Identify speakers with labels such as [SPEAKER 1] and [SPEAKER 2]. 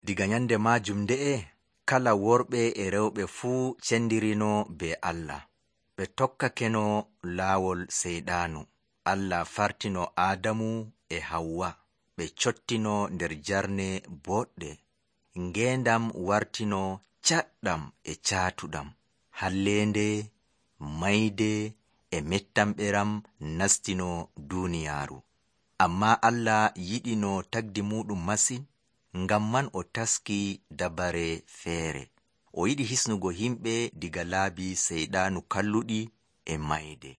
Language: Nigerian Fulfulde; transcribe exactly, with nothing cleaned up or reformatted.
[SPEAKER 1] Diga nyande majum nde'e, kala worɓe e rewɓe fuu cendirino be Allah. Ɓe tokkakeno laawol seyɗaanu. Allah fartino Aadamu e Hawwa. Ɓe cottino nder jarne boɗɗe. Ngeendam wartino caɗɗam e caatuɗam. Halleende, mayde e mettamɓeram nastino duuniyaaru. Ammaa Allah yiɗino tagdi muɗum masin, ngam man o taski dabare feere. O yiɗi hisnugo himɓe diga laabi seyɗaanu kalluɗi e mayde.